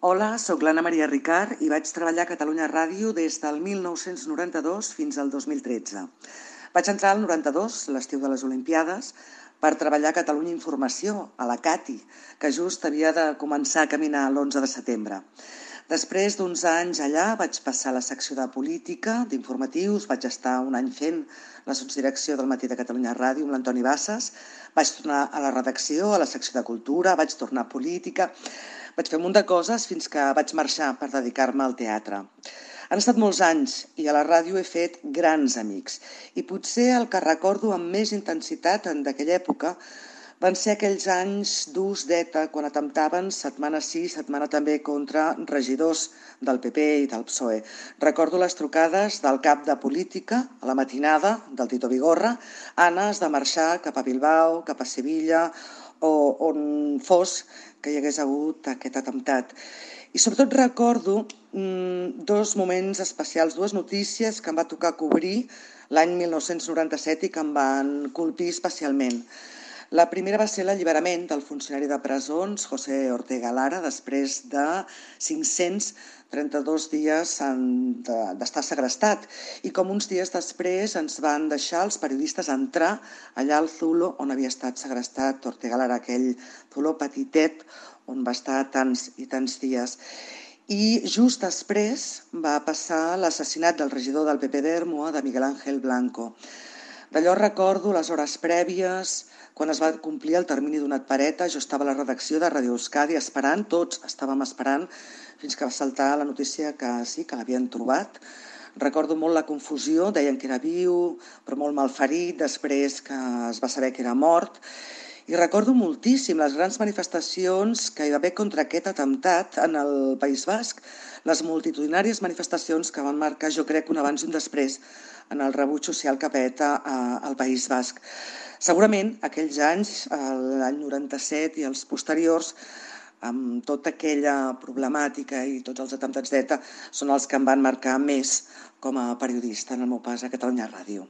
Hola, sóc l'Anna Maria Ricard i vaig treballar a Catalunya Ràdio des del 1992 fins al 2013. Vaig entrar al 92, l'estiu de les Olimpiades, per treballar a Catalunya Informació, a la CATI, que just havia de començar a caminar l'11 de setembre. Després d'uns anys allà vaig passar a la secció de política, d'informatius, vaig estar un any fent la sotsdirecció del Matí de Catalunya Ràdio amb l'Antoni Bassas, vaig tornar a la redacció, a la secció de cultura, vaig tornar a política, vaig fer un munt de coses fins que vaig marxar per dedicar-me al teatre. Han estat molts anys i a la ràdio he fet grans amics i potser el que recordo amb més intensitat d'aquella època van ser aquells anys durs d'ETA quan atemptaven setmana sí, setmana també contra regidors del PP i del PSOE. Recordo les trucades del cap de política a la matinada del Tito Vigorra, Anna, has de marxar cap a Bilbao, cap a Sevilla o on fos que hi hagués hagut aquest atemptat. I sobretot recordo dos moments especials, dues notícies que em va tocar cobrir l'any 1997 i que em van colpir especialment. La primera va ser l'alliberament del funcionari de presons, José Ortega Lara, després de 532 dies d'estar segrestat. I com uns dies després ens van deixar els periodistes entrar allà al Zulo on havia estat segrestat Ortega Lara, aquell Zulo petitet on va estar tants i tants dies. I just després va passar l'assassinat del regidor del PP d'Ermua, de Miguel Ángel Blanco. D'allò recordo les hores prèvies, quan es va complir el termini donat per ETA, jo estava a la redacció de Radio Euskadi esperant, tots estàvem esperant, fins que va saltar la notícia que sí, que l'havien trobat. Recordo molt la confusió, deien que era viu, però molt malferit, després que es va saber que era mort. I recordo moltíssim les grans manifestacions que hi va haver contra aquest atemptat en el País Basc, les multitudinàries manifestacions que van marcar, jo crec, un abans i un després en el rebuig social cap a ETA al País Basc. Segurament aquells anys, l'any 97 i els posteriors, amb tota aquella problemàtica i tots els atemptats d'ETA, són els que em van marcar més com a periodista en el meu pas a Catalunya Ràdio.